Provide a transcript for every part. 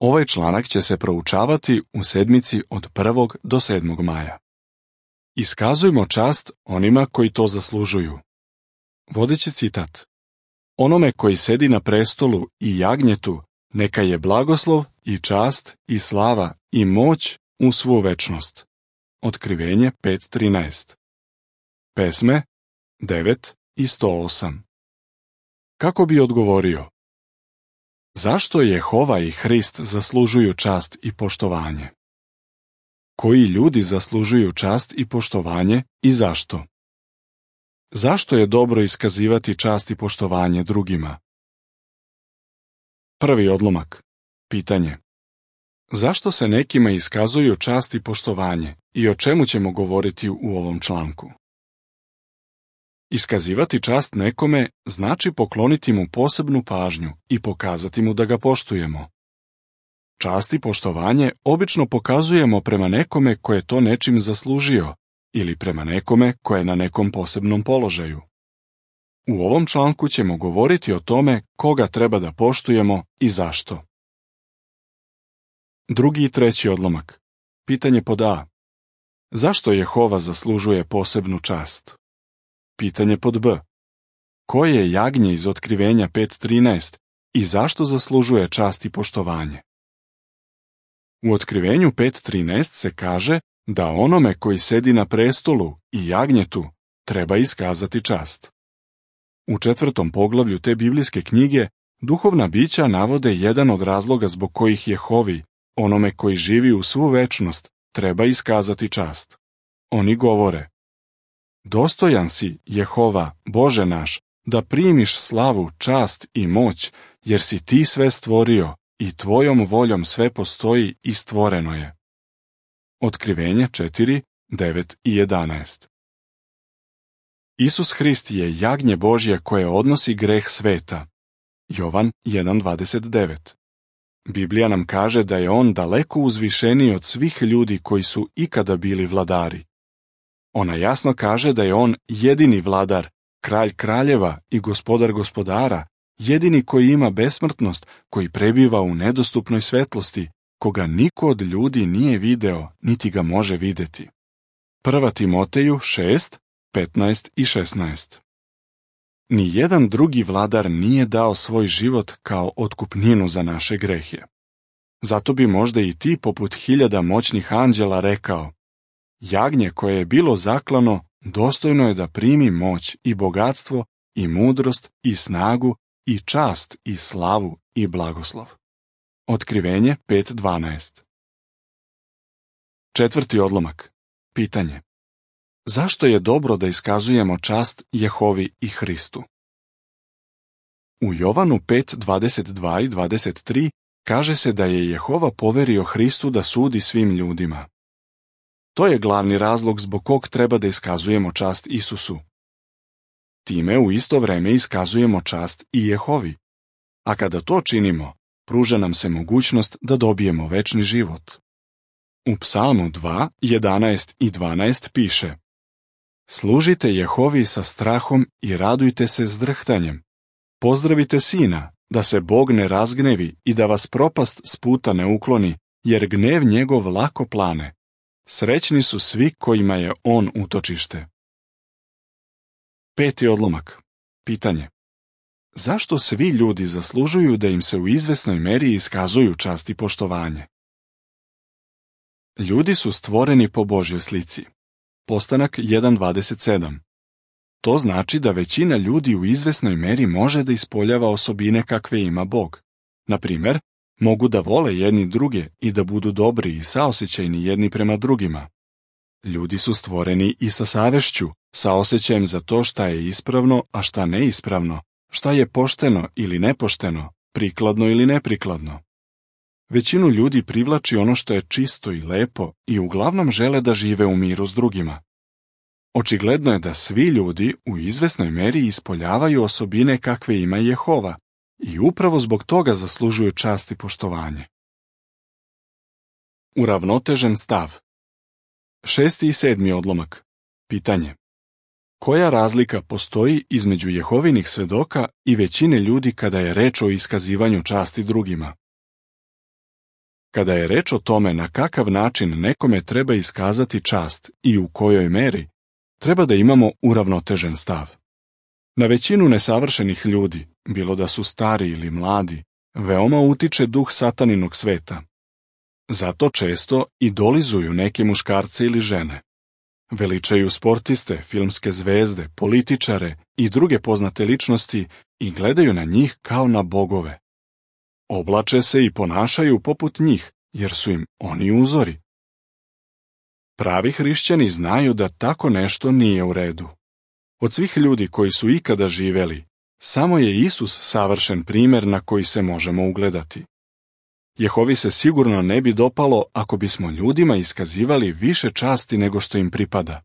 Ovaj članak će se proučavati u sedmici od 1. do 7. maja. Iskazujmo čast onima koji to zaslužuju. Vodeći citat. Onome koji sedi na prestolu i jagnjetu, neka je blagoslov i čast i slava i moć u svu večnost. Otkrivenje 5.13. Pesme 9 i 108. Kako bi odgovorio? Zašto Jehova i Hrist zaslužuju čast i poštovanje? Koji ljudi zaslužuju čast i poštovanje i zašto? Zašto je dobro iskazivati čast i poštovanje drugima? Prvi odlomak. Pitanje. Zašto se nekima iskazuju čast i poštovanje i o čemu ćemo govoriti u ovom članku? Iskazivati čast nekome znači pokloniti mu posebnu pažnju i pokazati mu da ga poštujemo. Čast i poštovanje obično pokazujemo prema nekome ko je to nečim zaslužio ili prema nekome ko je na nekom posebnom položaju. U ovom članku ćemo govoriti o tome koga treba da poštujemo i zašto. Drugi i treći odlomak. Pitanje pod A. Zašto Jehova zaslužuje posebnu čast? Pitanje pod B. Koje je jagnje iz Otkrivenja 5.13 i zašto zaslužuje čast i poštovanje? U Otkrivenju 5.13 se kaže da onome koji sedi na prestolu i jagnjetu treba iskazati čast. U 4. poglavlju te biblijske knjige duhovna bića navode jedan od razloga zbog kojih Jehovi, onome koji živi u svu večnost, treba iskazati čast. Oni govore: Dostojan si, Jehova, Bože naš, da primiš slavu, čast i moć, jer si ti sve stvorio i tvojom voljom sve postoji i stvoreno je. Otkrivenje 4, 9 i 11. Isus Hrist je jagnje Božje koje odnosi greh sveta. Jovan 1.29. Biblija nam kaže da je on daleko uzvišeniji od svih ljudi koji su ikada bili vladari. Ona jasno kaže da je on jedini vladar, kralj kraljeva i gospodar gospodara, jedini koji ima besmrtnost, koji prebiva u nedostupnoj svetlosti, koga niko od ljudi nije video, niti ga može videti. 1. Timoteju 6, 15 i 16. Nijedan drugi vladar nije dao svoj život kao otkupninu za naše grehe. Zato bi možda i ti poput 1000 moćnih anđela rekao: Jagnje koje je bilo zaklano, dostojno je da primi moć i bogatstvo i mudrost i snagu i čast i slavu i blagoslov. Otkrivenje 5.12. Četvrti odlomak. Pitanje. Zašto je dobro da iskazujemo čast Jehovi i Hristu? U Jovanu 5.22 i 23 kaže se da je Jehova poverio Hristu da sudi svim ljudima. To je glavni razlog zbog kog treba da iskazujemo čast Isusu. Time u isto vreme iskazujemo čast i Jehovi. A kada to činimo, pruža nam se mogućnost da dobijemo večni život. U Psalmu 2, 11 i 12 piše: Služite Jehovi sa strahom i radujte se s drhtanjem. Pozdravite Sina, da se Bog ne razgnevi i da vas propast s puta ne ukloni, jer gnev njegov lako plane. Srećni su svi kojima je on utočište. Peti odlomak. Pitanje. Zašto svi ljudi zaslužuju da im se u izvesnoj meri iskazuju čast i poštovanje? Ljudi su stvoreni po Božjoj slici. Postanak 1.27. To znači da većina ljudi u izvesnoj meri može da ispoljava osobine kakve ima Bog. Na primjer, mogu da vole jedni druge i da budu dobri i saosećajni jedni prema drugima. Ljudi su stvoreni i sa savešću, sa osjećajem za to šta je ispravno, a šta neispravno, šta je pošteno ili nepošteno, prikladno ili neprikladno. Većinu ljudi privlači ono što je čisto i lepo i uglavnom žele da žive u miru s drugima. Očigledno je da svi ljudi u izvesnoj meri ispoljavaju osobine kakve ima Jehova i upravo zbog toga zaslužuju čast i poštovanje. Uravnotežen stav. 6. i 7. odlomak. Pitanje. Koja razlika postoji između Jehovinih svedoka i većine ljudi kada je reč o iskazivanju časti drugima? Kada je reč o tome na kakav način nekome treba iskazati čast i u kojoj meri, treba da imamo uravnotežen stav. Na većinu nesavršenih ljudi, bilo da su stari ili mladi, veoma utiče duh sataninog sveta. Zato često idolizuju neke muškarce ili žene. Veličaju sportiste, filmske zvezde, političare i druge poznate ličnosti i gledaju na njih kao na bogove. Oblače se i ponašaju poput njih, jer su im oni uzori. Pravi hrišćani znaju da tako nešto nije u redu. Od svih ljudi koji su ikada živeli, samo je Isus savršen primjer na koji se možemo ugledati. Jehovi se sigurno ne bi dopalo ako bismo ljudima iskazivali više časti nego što im pripada.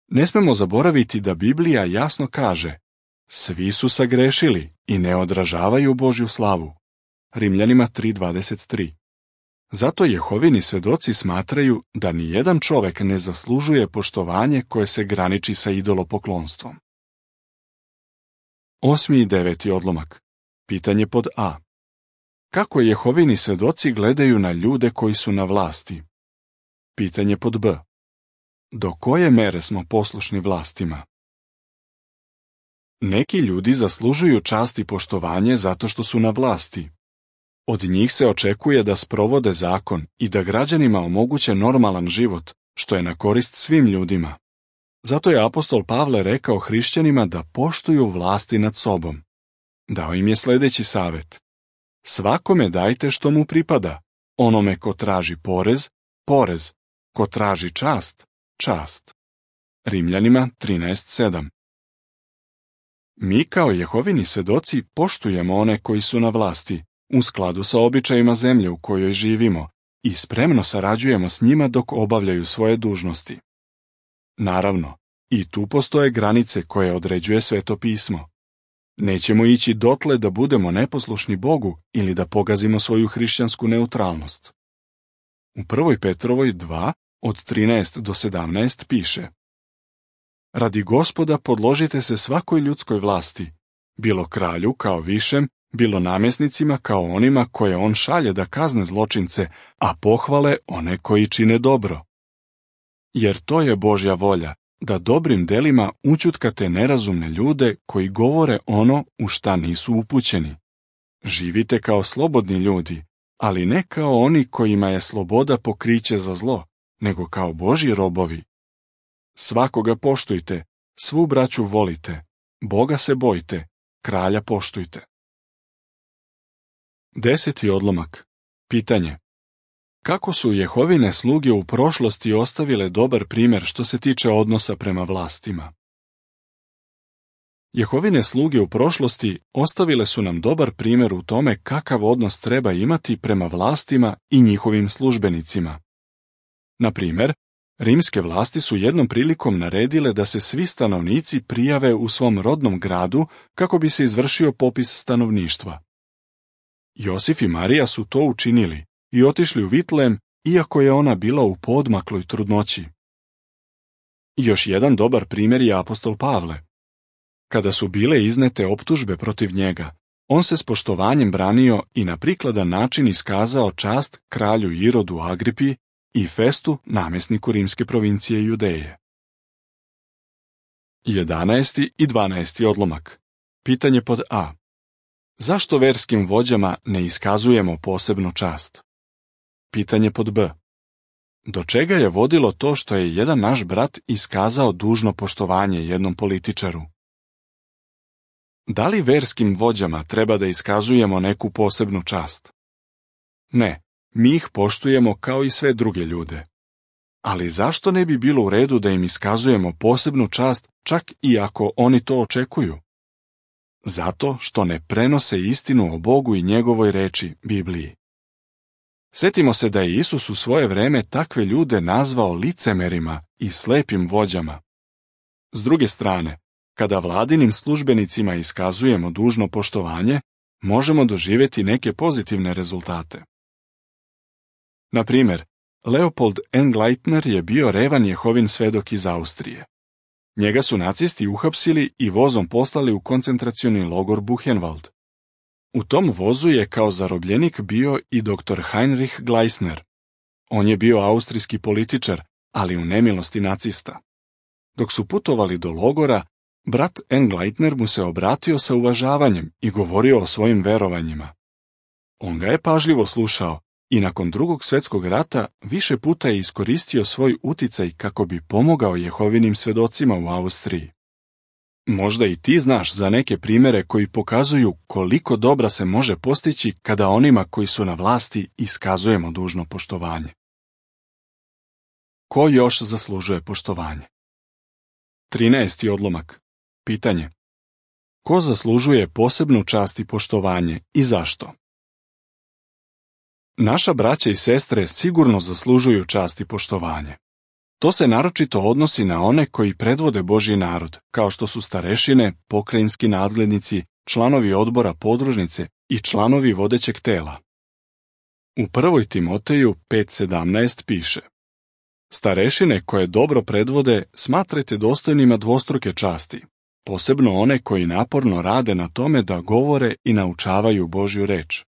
Ne smemo zaboraviti da Biblija jasno kaže: svi su sagrešili i ne odražavaju Božju slavu. Rimljanima 3:23. Zato Jehovini svedoci smatraju da nijedan čovek ne zaslužuje poštovanje koje se graniči sa idolopoklonstvom. 8. i 9. odlomak. Pitanje pod A. Kako Jehovini svedoci gledaju na ljude koji su na vlasti? Pitanje pod B. Do koje mere smo poslušni vlastima? Neki ljudi zaslužuju čast i poštovanje zato što su na vlasti. Od njih se očekuje da sprovode zakon i da građanima omoguće normalan život, što je na korist svim ljudima. Zato je apostol Pavle rekao hrišćanima da poštuju vlasti nad sobom. Dao im je sljedeći savjet: svakome dajte što mu pripada, onome ko traži porez, porez, ko traži čast, čast. Rimljanima 13:7. Mi kao Jehovini svedoci poštujemo one koji su na vlasti, u skladu sa običajima zemlje u kojoj živimo, i spremno sarađujemo s njima dok obavljaju svoje dužnosti. Naravno, i tu postoje granice koje određuje Sveto pismo. Nećemo ići dotle da budemo neposlušni Bogu ili da pogazimo svoju hrišćansku neutralnost. U 1. Petrovoj 2, od 13 do 17 piše: radi Gospoda podložite se svakoj ljudskoj vlasti, bilo kralju kao višem, bilo namjesnicima kao onima koje on šalje da kazne zločince, a pohvale one koji čine dobro. Jer to je Božja volja, da dobrim delima ućutkate nerazumne ljude koji govore ono u šta nisu upućeni. Živite kao slobodni ljudi, ali ne kao oni kojima je sloboda pokriće za zlo, nego kao Božji robovi. Svakoga poštujte, svu braću volite, Boga se bojte, kralja poštujte. 10. odlomak. Pitanje. Kako su Jehovine sluge u prošlosti ostavile dobar primjer što se tiče odnosa prema vlastima? Jehovine sluge u prošlosti ostavile su nam dobar primjer u tome kakav odnos treba imati prema vlastima i njihovim službenicima. Na primjer, rimske vlasti su jednom prilikom naredile da se svi stanovnici prijave u svom rodnom gradu kako bi se izvršio popis stanovništva. Josif i Marija su to učinili i otišli u Vitlem, iako je ona bila u poodmakloj trudnoći. Još jedan dobar primjer je apostol Pavle. Kada su bile iznete optužbe protiv njega, on se s poštovanjem branio i na prikladan način iskazao čast kralju Irodu Agripi i Festu, namjesniku rimske provincije Judeje. 11. i 12. odlomak. Pitanje pod A. Zašto verskim vođama ne iskazujemo posebnu čast? Pitanje pod B. Do čega je vodilo to što je jedan naš brat iskazao dužno poštovanje jednom političaru? Da li verskim vođama treba da iskazujemo neku posebnu čast? Ne, mi ih poštujemo kao i sve druge ljude. Ali zašto ne bi bilo u redu da im iskazujemo posebnu čast čak i ako oni to očekuju? Zato što ne prenose istinu o Bogu i njegovoj reči, Bibliji. Sjetimo se da je Isus u svoje vreme takve ljude nazvao licemerima i slepim vođama. S druge strane, kada vladinim službenicima iskazujemo dužno poštovanje, možemo doživjeti neke pozitivne rezultate. Na primjer, Leopold Engleitner je bio revan Jehovin svedok iz Austrije. Njega su nacisti uhapsili i vozom poslali u koncentracioni logor Buchenwald. U tom vozu je kao zarobljenik bio i dr. Heinrich Gleisner. On je bio austrijski političar, ali u nemilosti nacista. Dok su putovali do logora, brat Engleitner mu se obratio sa uvažavanjem i govorio o svojim verovanjima. On ga je pažljivo slušao i nakon Drugog svjetskog rata više puta je iskoristio svoj uticaj kako bi pomogao Jehovinim svjedocima u Austriji. Možda i ti znaš za neke primjere koji pokazuju koliko dobra se može postići kada onima koji su na vlasti iskazujemo dužno poštovanje. Ko još zaslužuje poštovanje? 13. odlomak. Pitanje. Ko zaslužuje posebnu čast i poštovanje i zašto? Naša braća i sestre sigurno zaslužuju čast i poštovanje. To se naročito odnosi na one koji predvode Božji narod, kao što su starešine, pokrajinski nadglednici, članovi odbora podružnice i članovi vodećeg tela. U 1. Timoteju 5:17 piše: Starešine koje dobro predvode smatrajte dostojnima dvostruke časti, posebno one koji naporno rade na tome da govore i naučavaju Božju reč.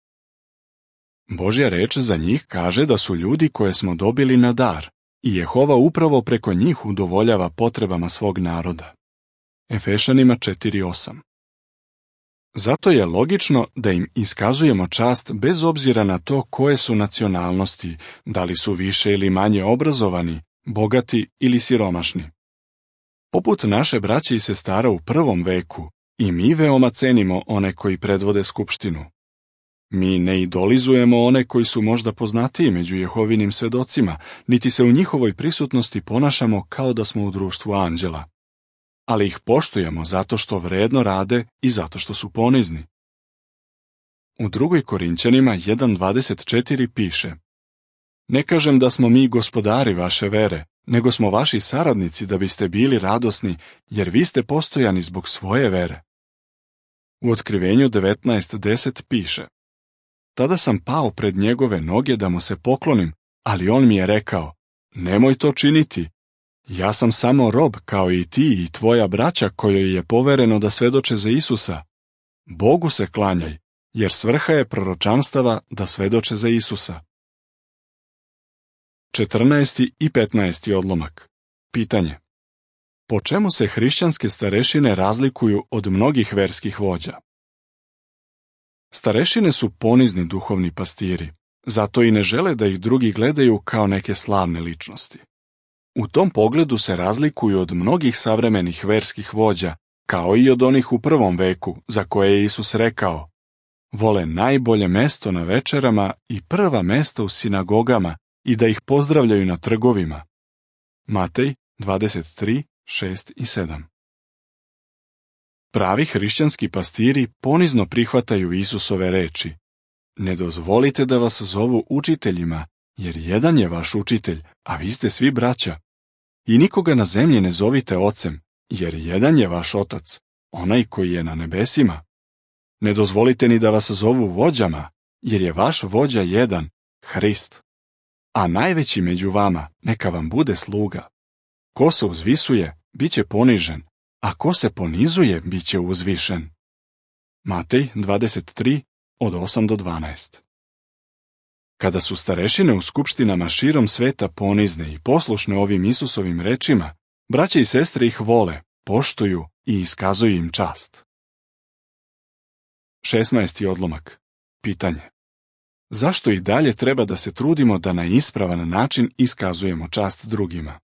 Božja reč za njih kaže da su ljudi koje smo dobili na dar i Jehova upravo preko njih udovoljava potrebama svog naroda. Efešanima 4:8. Zato je logično da im iskazujemo čast bez obzira na to koje su nacionalnosti, da li su više ili manje obrazovani, bogati ili siromašni. Poput naše braće i sestara u prvom veku, i mi veoma cenimo one koji predvode skupštinu. Mi ne idolizujemo one koji su možda poznatiji među Jehovinim svjedocima, niti se u njihovoj prisutnosti ponašamo kao da smo u društvu anđela. Ali ih poštujemo zato što vredno rade i zato što su ponizni. U 2. Korinćanima 1:24 piše: Ne kažem da smo mi gospodari vaše vere, nego smo vaši saradnici da biste bili radosni, jer vi ste postojani zbog svoje vere. U Otkrivenju 19:10 piše: Tada sam pao pred njegove noge da mu se poklonim, ali on mi je rekao: Nemoj to činiti. Ja sam samo rob kao i ti i tvoja braća kojoj je povereno da svedoče za Isusa. Bogu se klanjaj, jer svrha je proročanstava da svedoče za Isusa. 14. i 15. odlomak. Pitanje. Po čemu se hrišćanske starešine razlikuju od mnogih verskih vođa? Starešine su ponizni duhovni pastiri, zato i ne žele da ih drugi gledaju kao neke slavne ličnosti. U tom pogledu se razlikuju od mnogih savremenih verskih vođa, kao i od onih u prvom veku, za koje je Isus rekao: Vole najbolje mesto na večerama i prva mesta u sinagogama i da ih pozdravljaju na trgovima. Matej 23:6 i 7. Pravi hrišćanski pastiri ponizno prihvataju Isusove reči: Ne dozvolite da vas zovu učiteljima, jer jedan je vaš učitelj, a vi ste svi braća. I nikoga na zemlji ne zovite ocem, jer jedan je vaš otac, onaj koji je na nebesima. Ne dozvolite ni da vas zovu vođama, jer je vaš vođa jedan, Hrist. A najveći među vama neka vam bude sluga. Ko se uzvisuje, bit će ponižen, a ko se ponizuje, bit će uzvišen. Matej 23:8-12. Kada su starešine u skupštinama širom sveta ponizne i poslušne ovim Isusovim rečima, braće i sestre ih vole, poštuju i iskazuju im čast. 16. odlomak. Pitanje. Zašto i dalje treba da se trudimo da na ispravan način iskazujemo čast drugima?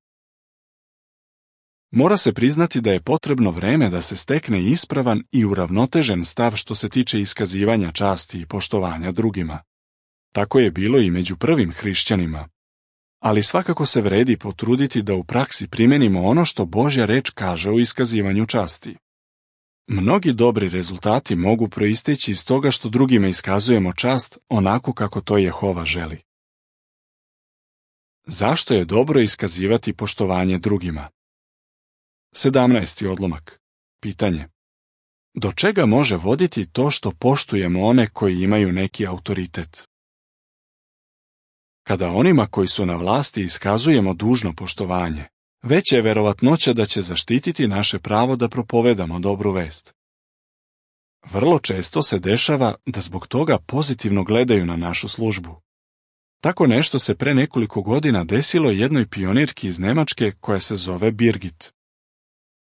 Mora se priznati da je potrebno vreme da se stekne ispravan i uravnotežen stav što se tiče iskazivanja časti i poštovanja drugima. Tako je bilo i među prvim hrišćanima. Ali svakako se vredi potruditi da u praksi primenimo ono što Božja reč kaže o iskazivanju časti. Mnogi dobri rezultati mogu proisteći iz toga što drugima iskazujemo čast onako kako to Jehova želi. Zašto je dobro iskazivati poštovanje drugima? 17. odlomak. Pitanje. Do čega može voditi to što poštujemo one koji imaju neki autoritet? Kada onima koji su na vlasti iskazujemo dužno poštovanje, veća je verovatnoća da će zaštititi naše pravo da propovedamo dobru vest. vrlo često se dešava da zbog toga pozitivno gledaju na našu službu. Tako nešto se pre nekoliko godina desilo jednoj pionirki iz Nemačke koja se zove Birgit.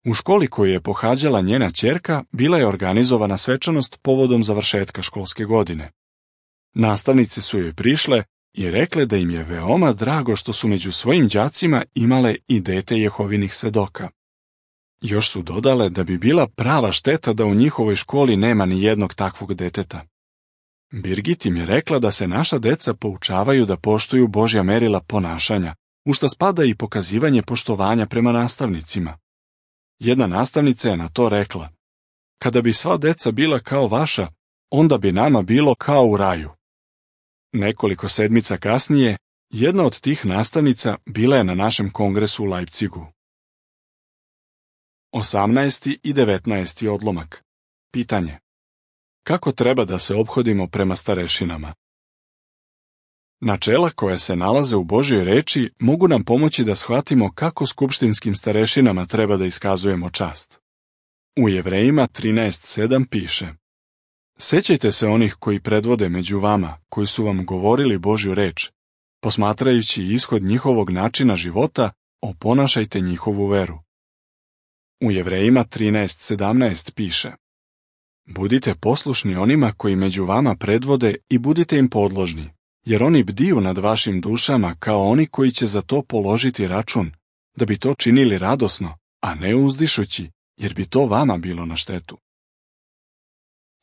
U školi koju je pohađala njena ćerka bila je organizovana svečanost povodom završetka školske godine. Nastavnice su joj prišle i rekle da im je veoma drago što su među svojim đacima imale i dete Jehovinih svedoka. Još su dodale da bi bila prava šteta da u njihovoj školi nema ni jednog takvog deteta. Birgit im je rekla da se naša deca poučavaju da poštuju Božja merila ponašanja, u što spada i pokazivanje poštovanja prema nastavnicima. Jedna nastavnica je na to rekla: kada bi sva deca bila kao vaša, onda bi nama bilo kao u raju. Nekoliko sedmica kasnije, jedna od tih nastavnica bila je na našem kongresu u Leipzigu. 18. i 19. odlomak. Pitanje: kako treba da se ophodimo prema starešinama? Načela koja se nalaze u Božjoj reči mogu nam pomoći da shvatimo kako skupštinskim starešinama treba da iskazujemo čast. U Jevrejima 13:7 piše: sećajte se onih koji predvode među vama, koji su vam govorili Božju reč. Posmatrajući ishod njihovog načina života, oponašajte njihovu veru. U Jevrejima 13:17 piše: budite poslušni onima koji među vama predvode i budite im podložni, jer oni bdiju nad vašim dušama kao oni koji će za to položiti račun, da bi to činili radosno, a ne uzdišući, jer bi to vama bilo na štetu.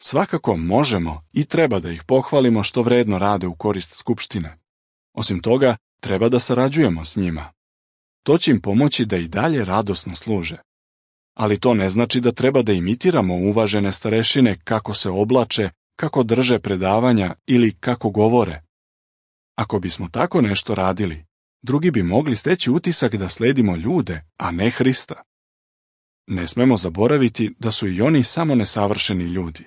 Svakako možemo i treba da ih pohvalimo što vredno rade u korist skupštine. Osim toga, treba da sarađujemo s njima. To će im pomoći da i dalje radosno služe. Ali to ne znači da treba da imitiramo uvažene starešine kako se oblače, kako drže predavanja ili kako govore. Ako bismo tako nešto radili, drugi bi mogli steći utisak da sledimo ljude, a ne Hrista. Ne smemo zaboraviti da su i oni samo nesavršeni ljudi.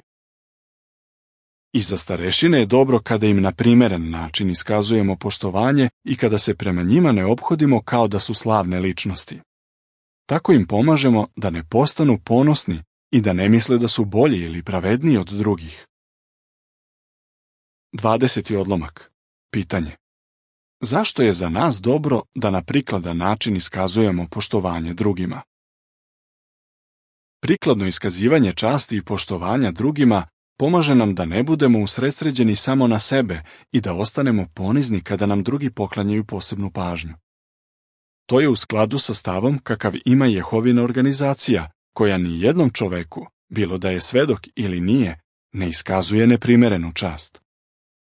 I za starešine je dobro kada im na primeren način iskazujemo poštovanje i kada se prema njima ne ophodimo kao da su slavne ličnosti. Tako im pomažemo da ne postanu ponosni i da ne misle da su bolji ili pravedniji od drugih. 20. odlomak. Pitanje: zašto je za nas dobro da na prikladan način iskazujemo poštovanje drugima? Prikladno iskazivanje časti i poštovanja drugima pomaže nam da ne budemo usredsređeni samo na sebe i da ostanemo ponizni kada nam drugi poklanjaju posebnu pažnju. To je u skladu sa stavom kakav ima Jehovina organizacija, koja ni jednom čoveku, bilo da je svedok ili nije, ne iskazuje neprimerenu čast.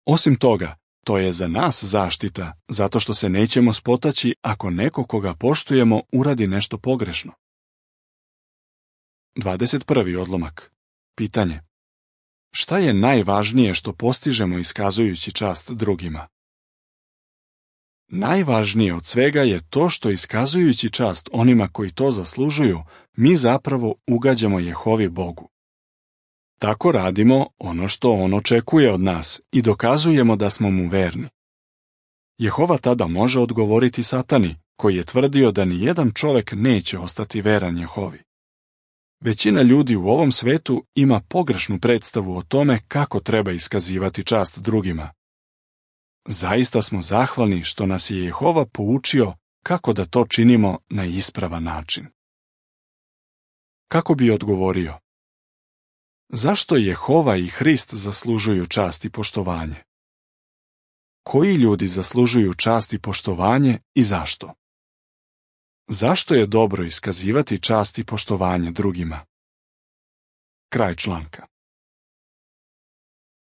Osim toga, to je za nas zaštita, zato što se nećemo spotaći ako neko koga poštujemo uradi nešto pogrešno. 21. odlomak. Pitanje: šta je najvažnije što postižemo iskazujući čast drugima? Najvažnije od svega je to što iskazujući čast onima koji to zaslužuju, mi zapravo ugađamo Jehovi Bogu. Tako radimo ono što on očekuje od nas i dokazujemo da smo mu verni. Jehova tada može odgovoriti Satani, koji je tvrdio da ni jedan čovek neće ostati veran Jehovi. Većina ljudi u ovom svetu ima pogrešnu predstavu o tome kako treba iskazivati čast drugima. Zaista smo zahvalni što nas je Jehova poučio kako da to činimo na ispravan način. Kako bi odgovorio? Zašto Jehova i Hrist zaslužuju čast i poštovanje? Koji ljudi zaslužuju čast i poštovanje i zašto? Zašto je dobro iskazivati čast i poštovanje drugima? Kraj članka.